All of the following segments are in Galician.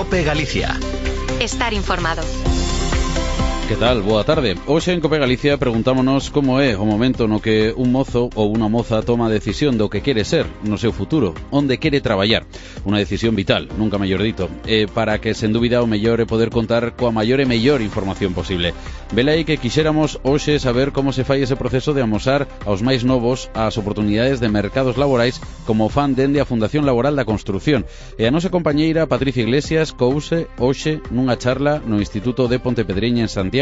COPE Galicia. Estar informado. Que tal? Boa tarde. Hoxe en COPE Galicia preguntámonos como é o momento no que un mozo ou unha moza toma a decisión do que quere ser no seu futuro, onde quere traballar. Unha decisión vital, nunca mellor dito, para que, sen dúbida, o mellor é poder contar coa maior e mellor información posible. Velaí que quixéramos hoxe saber como se fai ese proceso de amosar aos máis novos as oportunidades de mercados laborais como fan dende a Fundación Laboral da Construción. E a nosa compañeira Patricia Iglesias couse hoxe nunha charla no Instituto de Pontepedreña en Santiago,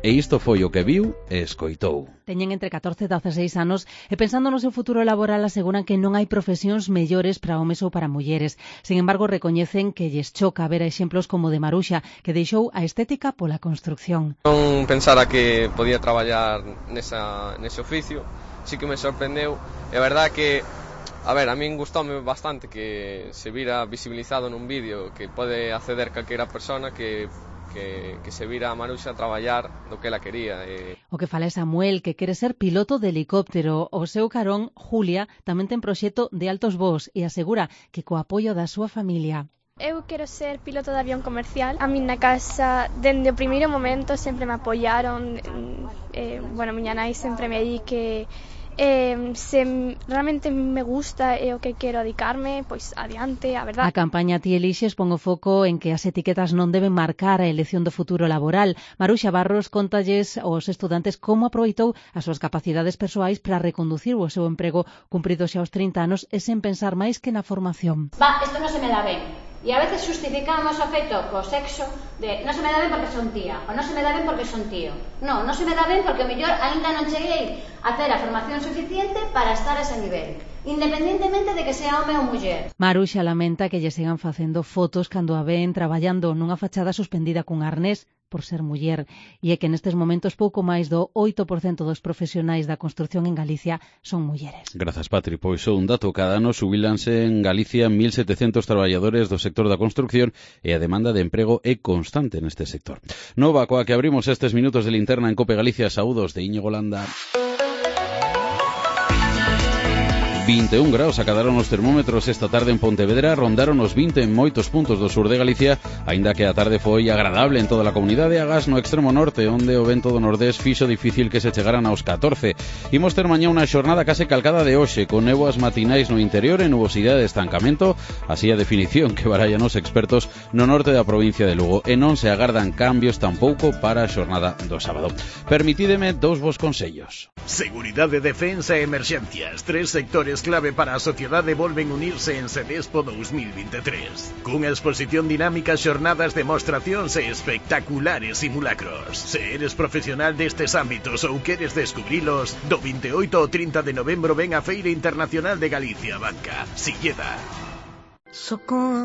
e isto foi o que viu e escoitou. Teñen entre 14 e 16 anos e pensando no seu futuro laboral aseguran que non hai profesións mellores para homes ou para mulleres. Sin embargo, recoñecen que lles choca ver exemplos como o de Maruxa, que deixou a estética pola construcción. Non pensara que podía traballar nese oficio, sí que me sorprendeu. É verdad que, a min gustoume bastante que se vira visibilizado nun vídeo que pode acceder calquera persona que se vira a Maruxa a traballar do que ela quería. O que fala é Samuel, que quere ser piloto de helicóptero. O seu carón, Julia, tamén ten proxecto de altos voos e asegura que co apoio da súa familia. Eu quero ser piloto de avión comercial. A min na casa, dende o primeiro momento, sempre me apoiaron. Miña nai sempre me di que se realmente me gusta e o que quero dedicarme, pois adiante, a verdade. A campaña Ti Elixes pon o foco en que as etiquetas non deben marcar a elección do futuro laboral. Maruxa Barros contalles aos estudantes como aproveitou as súas capacidades persoais para reconducir o seu emprego cumpridos xa aos 30 anos e sen pensar máis que na formación. Isto non se me dá ben. E a veces justificamos o feito co sexo de non se me dá ben porque son tía, ou non se me dá ben porque son tío. Non se me dá ben porque o mellor aínda non cheguei a ter a formación suficiente para estar a ese nivel, independentemente de que sea home ou muller. Maruxa lamenta que lle sigan facendo fotos cando a ven traballando nunha fachada suspendida cun arnés por ser muller, e é que nestes momentos pouco máis do 8% dos profesionais da construción en Galicia son mulleres. Grazas, Patri. Pois un dato, cada ano xubilanse en Galicia 1.700 traballadores do sector da construcción e a demanda de emprego é constante neste sector. Nova coa que abrimos estes minutos de linterna en COPE Galicia. Saúdos de Íñigo Landa. 21 graus acadaron os termómetros esta tarde en Pontevedra, rondaron os 20 en moitos puntos do sur de Galicia, aínda que a tarde foi agradable en toda a comunidade, agás no extremo norte, onde o vento do nordés fixo difícil que se chegaran aos 14. Imos ter mañá unha xornada case calcada de hoxe, con néboas matinais no interior e nubosidade de estancamento, así a definición que barallan os expertos no norte da provincia de Lugo, e non se agardan cambios tampouco para a xornada do sábado. Permitídeme dous vos consellos. Seguridade, defensa e emerxencias, tres sectores clave para a sociedade volven unirse en Sedespo 2023. Cunha exposición dinámica, xornadas, demostracións e espectaculares simulacros. Se eres profesional destes ámbitos ou queres descubrilos, do 28 ao 30 de novembro ven a Feira Internacional de Galicia, Banca, Silleda.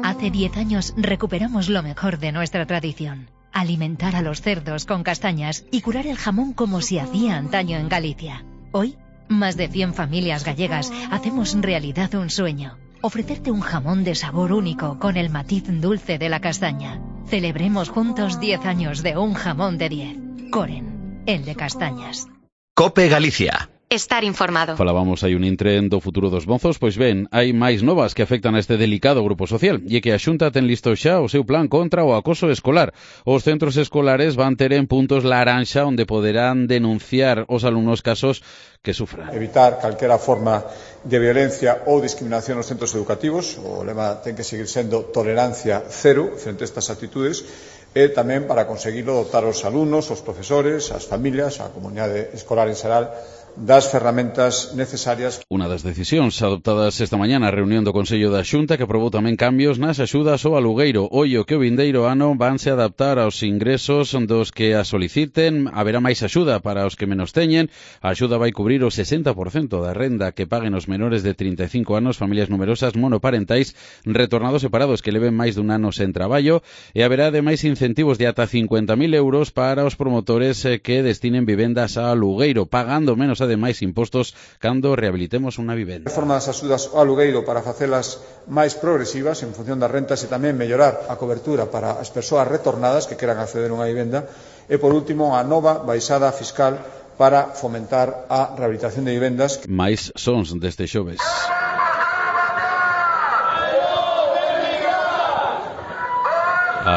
Hace 10 años recuperamos lo mejor de nuestra tradición. Alimentar a los cerdos con castañas y curar el jamón como se hacía antaño en Galicia. Hoy, más de 100 familias gallegas hacemos realidad un sueño. Ofrecerte un jamón de sabor único con el matiz dulce de la castaña. Celebremos juntos 10 años de un jamón de 10. Coren, el de castañas. COPE Galicia. Estar informado. Falábamos hai un intren do futuro dos mozos, pois ben, hai máis novas que afectan a este delicado grupo social, e que a Xunta ten listo xa o seu plan contra o acoso escolar. Os centros escolares van ter en puntos laranxa onde poderán denunciar os alumnos casos que sufran. Evitar calquera forma de violencia ou discriminación nos centros educativos. O lema ten que seguir sendo tolerancia cero frente a estas actitudes, e tamén para conseguirlo dotar os alumnos, os profesores, as familias, a comunidade escolar en xeral das ferramentas necesarias. Unha das decisións adoptadas esta mañá na reunión do Consello da Xunta, que aprobou tamén cambios nas axudas ao alugueiro. Ollo que o vindeiro ano vanse adaptar aos ingresos dos que a soliciten, haberá máis axuda para os que menos teñen. A axuda vai cubrir o 60% da renda que paguen os menores de 35 anos, familias numerosas monoparentais, retornados separados que leven máis dun ano sen traballo, e haberá ademais incentivos de ata 50.000 euros para os promotores que destinen vivendas a alugueiro, pagando menos ademais impostos cando rehabilitemos unha vivenda. Reforma das axudas ao alugueiro para facelas máis progresivas en función das rentas e tamén mellorar a cobertura para as persoas retornadas que queran acceder a unha vivenda. E por último, a nova baixada fiscal para fomentar a rehabilitación de vivendas. Mais sons deste xoves.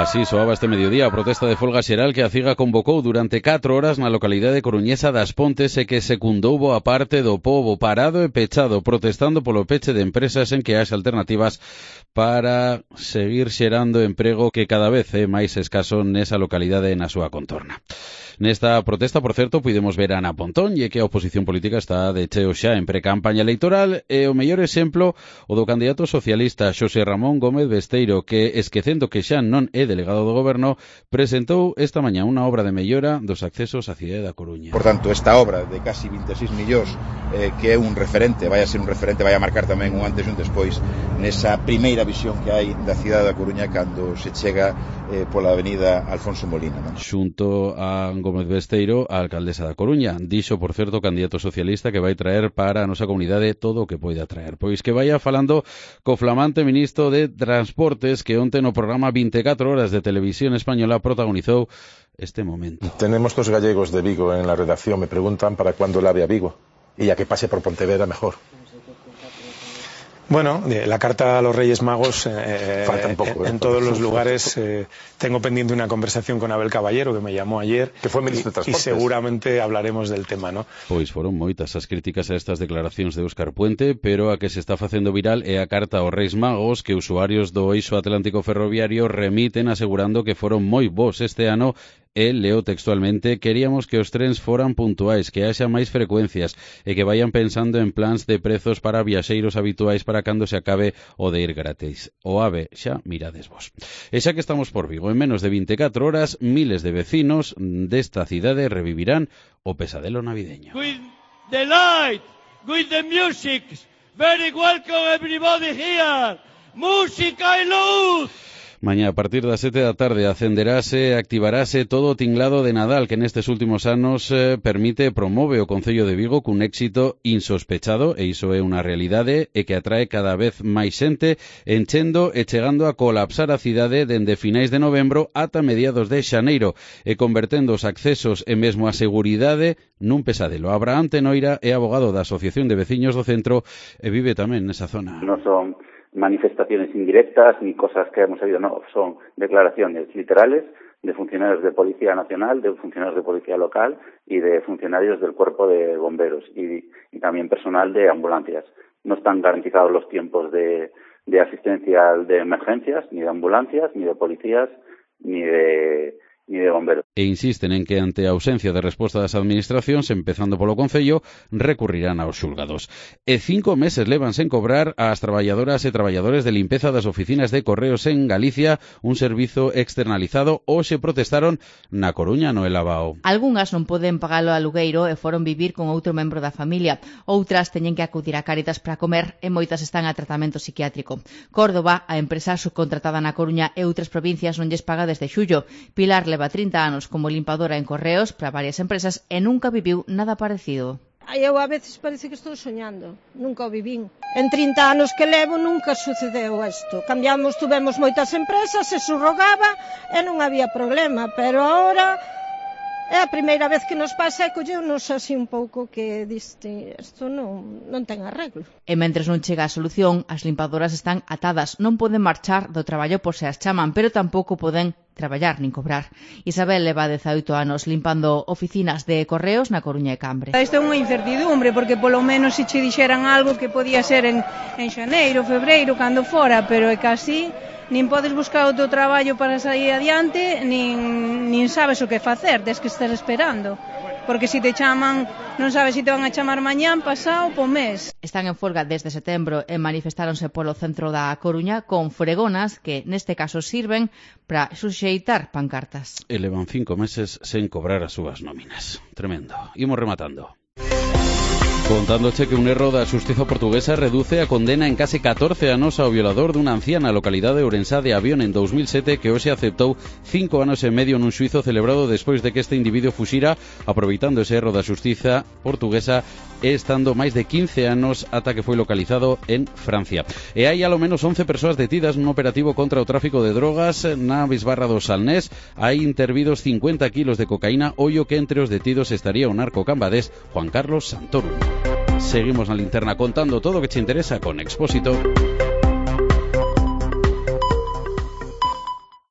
Así soaba este mediodía a protesta de folga xeral que a CIGA convocou durante 4 horas na localidade coruñesa das Pontes e que secundou boa parte do pobo parado e pechado protestando polo peche de empresas en que haxa alternativas para seguir xerando emprego que cada vez é máis escaso nesa localidade e na súa contorna. Nesta protesta, por certo, puidemos ver a Ana Pontón e que a oposición política está de cheo xa en precampaña electoral e o mellor exemplo o do candidato socialista Xosé Ramón Gómez Besteiro que, esquecendo que xa non é delegado do goberno, presentou esta mañá unha obra de mellora dos accesos á cidade da Coruña. Por tanto, esta obra de casi 26 millóns que é un referente, vai a ser un referente, vai a marcar tamén un antes e un despois nesa primeira visión que hai da cidade da Coruña cando se chega pola avenida Alfonso Molina, non? Xunto a Gómez Besteiro, a alcaldesa da Coruña. Dixo, por certo, o candidato socialista que vai traer para a nosa comunidade todo o que poida traer. Pois que vaya falando co flamante ministro de Transportes que onte no programa 24 horas de Televisión Española protagonizou este momento. Tenemos 2 gallegos de Vigo en la redacción. Me preguntan para cuándo el AVE a Vigo. Y ya que pase por Pontevedra, mejor. Bueno, la carta a los Reyes Magos Falta un poco, en todos los lugares. Tengo pendiente una conversación con Abel Caballero, que me llamó ayer, que fue ministro de Transportes. Y seguramente hablaremos del tema, ¿no? Pois foron moitas as críticas a estas declaracións de Óscar Puente, pero a que se está facendo viral é a carta aos Reis Magos que usuarios do eixo atlántico ferroviario remiten asegurando que foron moi bons este ano. Leo textualmente: queríamos que os trens foran puntuais, que haxa máis frecuencias e que vayan pensando en plans de prezos para viaxeiros habituais para cando se acabe o de ir gratis. O AVE xa mirades vos. E xa que estamos por Vigo, en menos de 24 horas, miles de vecinos desta cidade revivirán o pesadelo navideño. With the light, with the music, very welcome everybody here. Música e luz. Mañá, a partir das 7 da tarde, acenderase e activarase todo o tinglado de Nadal que nestes últimos anos permite e promove o Concello de Vigo cun éxito insospechado, e iso é unha realidade, e que atrae cada vez máis xente, enchendo e chegando a colapsar a cidade dende finais de novembro ata mediados de xaneiro, e convertendo os accesos e mesmo a seguridade nun pesadelo. Abraham Tenoira é abogado da Asociación de Veciños do Centro e vive tamén nesa zona. Non son manifestaciones indirectas ni cosas que hemos oído, no, son declaraciones literales de funcionarios de Policía Nacional, de funcionarios de Policía Local y de funcionarios del Cuerpo de Bomberos y también personal de ambulancias. No están garantizados los tiempos de asistencia de emergencias, ni de ambulancias, ni de policías, ni de bomberos. E insisten en que ante a ausencia de resposta das administracións, empezando polo Concello, recurrirán aos xulgados. E 5 meses levan sen cobrar ás traballadoras e traballadores de limpeza das oficinas de Correos en Galicia, un servizo externalizado. Hoxe protestaron na Coruña no Elabao. Algunhas non poden pagalo a alugueiro e foron vivir con outro membro da familia. Outras teñen que acudir a Cáritas para comer e moitas están a tratamento psiquiátrico. Córdoba, a empresa subcontratada na Coruña e outras provincias non lles paga desde xullo. Pilar leva 30 anos como limpadora en Correos para varias empresas e nunca viviu nada parecido. Eu a veces parece que estou soñando, nunca o vivín. En 30 anos que levo nunca sucedeu isto. Tuvemos moitas empresas, se surrogaba e non había problema, pero agora é a primeira vez que nos pasa e colleunos así un pouco que diste, isto non ten arreglo. E mentres non chega a solución, as limpadoras están atadas, non poden marchar do traballo por se as chaman, pero tampouco poden traballar nin cobrar. Isabel leva 18 anos limpando oficinas de Correos na Coruña e Cambre. Isto é unha incertidumbre, porque polo menos se che dixeran algo que podía ser en xaneiro, febreiro, cando fora, pero é casi nin podes buscar outro traballo para sair adiante, nin sabes o que facer, tes que estar esperando. Porque se te chaman, non sabes se te van a chamar mañán, pasado, po mes. Están en folga desde setembro e manifestáronse polo centro da Coruña con fregonas que neste caso sirven para suxeitar pancartas. E levan 5 meses sen cobrar as súas nóminas. Tremendo. Imos rematando. Contándoche que un erro da xustiza portuguesa reduce a condena en case 14 anos ao violador dunha anciana localidade ourensá de Avión en 2007 que hoxe aceptou 5 anos e medio nun xuizo celebrado despois de que este individuo fuxira aproveitando ese erro da xustiza portuguesa e estando máis de 15 anos ata que foi localizado en Francia. E hai alo menos 11 persoas detidas nun operativo contra o tráfico de drogas na Bisbarra do Salnés. Hai intervidos 50 kilos de cocaína, ollo que entre os detidos estaría o narco cambadés Juan Carlos Santoro. Seguimos na linterna contando todo o que te interesa con Expósito.